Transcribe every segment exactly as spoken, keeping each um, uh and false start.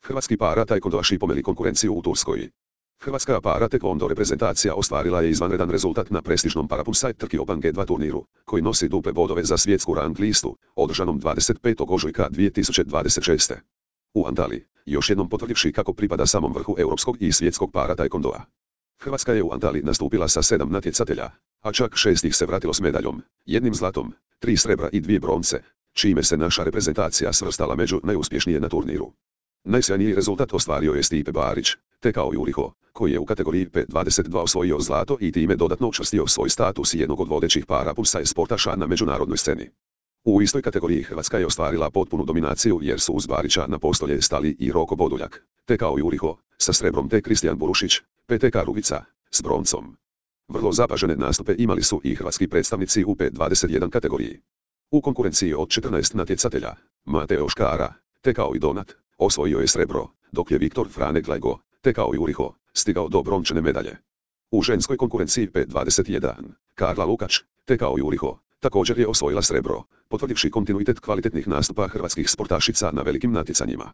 Hrvatski para taekwondoaši pomeli konkurenciju u Turskoj. Hrvatska para taekwondo reprezentacija ostvarila je izvanredan rezultat na prestižnom Parapunsaj Trki Open G dva turniru, koji nosi duple bodove za svjetsku rang listu, održanom dvadeset petog ožujka dvije tisuće dvadeset šeste. U Antaliji, još jednom potvrdivši kako pripada samom vrhu europskog i svjetskog para taekwondoa. Hrvatska je u Antaliji nastupila sa sedam natjecatelja, a čak šest ih se vratilo s medaljom, jednim zlatom, tri srebra i dvije bronce, čime se naša reprezentacija svrstala među najuspješnije na turniru. Najsjajniji rezultat ostvario je Stipe Barić, tekao Juriho, koji je u kategoriji P dvadeset dva osvojio zlato i time dodatno učvrstio svoj status jednog od vodećih Parapunsaj sportaša na međunarodnoj sceni. U istoj kategoriji Hrvatska je ostvarila potpunu dominaciju jer su uz Barića na postolje stali i Roko Boduljak, tekao Juriho, sa srebrom te Kristijan Burušić, P T K Rugica, s broncom. Vrlo zapažene nastupe imali su i hrvatski predstavnici u P dvadeset jedan kategoriji. U konkurenciji od četrnaest natjecatelja, Mateo Škara, tekao i Donat, osvojio je srebro, dok je Viktor Frane Glajgo, tekao Juriho, stigao do brončane medalje. U ženskoj konkurenciji P dvadeset jedan, Karla Lukač, tekao Juriho, također je osvojila srebro, potvrdivši kontinuitet kvalitetnih nastupa hrvatskih sportašica na velikim natjecanjima.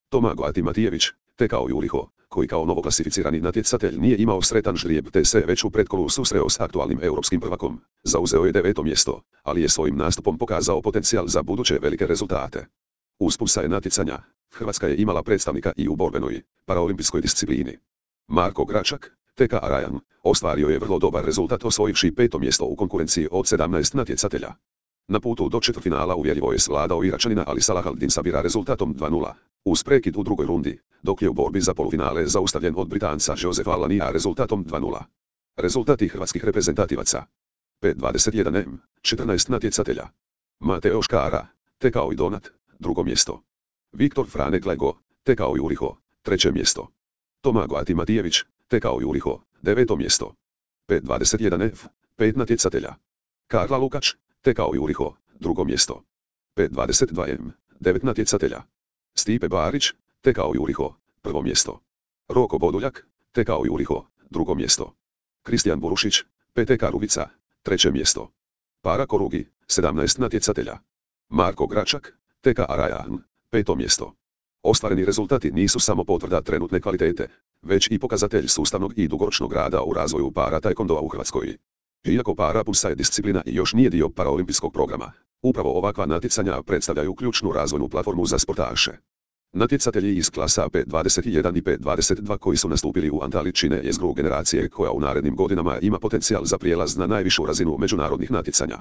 Tomago Matijević, tekao Juriho, koji kao novoklasificirani natjecatelj nije imao sretan ždrijeb te se već u pretkolu susreo s aktualnim europskim prvakom, zauzeo je deveto mjesto, ali je svojim nastupom pokazao potencijal za buduće velike rezultate. Uz Punsaj natjecanja, Hrvatska je imala predstavnika i u borbenoj, paraolimpijskoj disciplini. Marko Gračak, T K Arajan, ostvario je vrlo dobar rezultat osvojivši peto mjesto u konkurenciji od sedamnaest natjecatelja. Na putu do četvrtfinala uvjerljivo je svladao Iračanina Ali Salahaldin Sabira rezultatom dva nula, uz prekid u drugoj rundi, dok je u borbi za polufinale zaustavljen od Britanca Josefa Alania rezultatom dva nula. Rezultati hrvatskih reprezentativaca. P dvadeset jedan M, četrnaest natjecatelja. Mateo Škara, tekao i Donat, drugo mjesto. Viktor Frane Glajgo, tekao Juriho, treće mjesto. Tomago Matijević, tekao Juriho, deveto mjesto. P dvadeset jedan F, pet natjecatelja. Karla Lukač, tekao Juriho, drugo mjesto. P dvadeset dva M, devet natjecatelja. Stipe Barić, tekao Juriho, prvo mjesto. Roko Boduljak, tekao Juriho, drugo mjesto. Kristijan Burušić, P T K Rugica, treće mjesto. Para Korugi, sedamnaest natjecatelja. Marko Gračak, T K Arajan, peto mjesto. Ostvareni rezultati nisu samo potvrda trenutne kvalitete, već i pokazatelj sustavnog i dugoročnog rada u razvoju para taekwondoa u Hrvatskoj. Iako Parapunsaj disciplina i još nije dio paraolimpijskog programa, upravo ovakva natjecanja predstavljaju ključnu razvojnu platformu za sportaše. Natjecatelji iz klasa P dvadeset jedan i P dvadeset dva koji su nastupili u Antaliji čine jezgru generacije koja u narednim godinama ima potencijal za prijelaz na najvišu razinu međunarodnih natjecanja.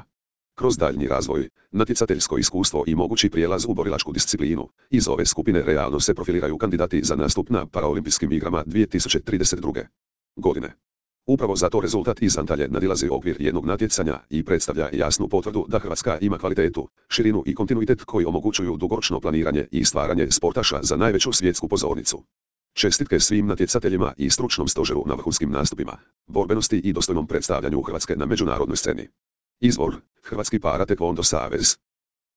Kroz daljnji razvoj, natjecateljsko iskustvo i mogući prijelaz u borilačku disciplinu, iz ove skupine realno se profiliraju kandidati za nastup na paraolimpijskim igrama dvije tisuće trideset druge. godine. Upravo zato rezultat iz Antalije nadilazi okvir jednog natjecanja i predstavlja jasnu potvrdu da Hrvatska ima kvalitetu, širinu i kontinuitet koji omogućuju dugoročno planiranje i stvaranje sportaša za najveću svjetsku pozornicu. Čestitke svim natjecateljima i stručnom stožeru na vrhunskim nastupima, borbenosti i dostojnom predstavljanju Hrvatske na međunarodnoj sceni. Izvor: Hrvatski para taekwondo savez.